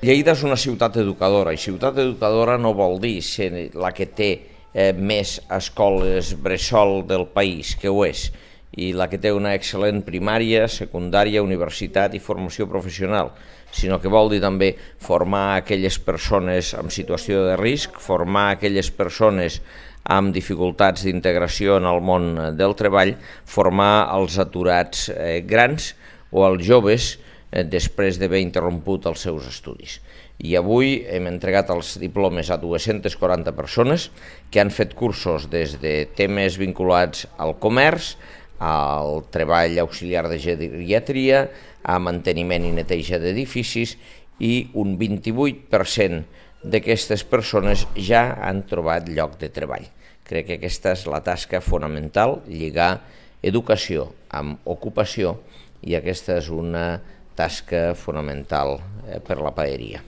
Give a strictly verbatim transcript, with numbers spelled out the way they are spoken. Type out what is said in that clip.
Lleida és una ciutat educadora, i ciutat educadora no vol dir ser la que té eh, més escoles bressol del país, que ho és, i la que té una excel·lent primària, secundària, universitat i formació professional, sinó que vol dir també formar aquelles persones en situació de risc, formar aquelles persones amb dificultats d'integració en el món del treball, formar els aturats eh, grans o els joves eh, després d'haver interromput els seus estudis. I avui hem entregat els diplomes a dues-centes quaranta persones que han fet cursos des de temes vinculats al comerç, al treball auxiliar de geriatria, a manteniment i neteja d'edificis, i un vint-i-vuit per cent d'aquestes persones ja han trobat lloc de treball. Crec que aquesta és la tasca fonamental, lligar educació amb ocupació, i aquesta és una tasca fonamental per la paeria.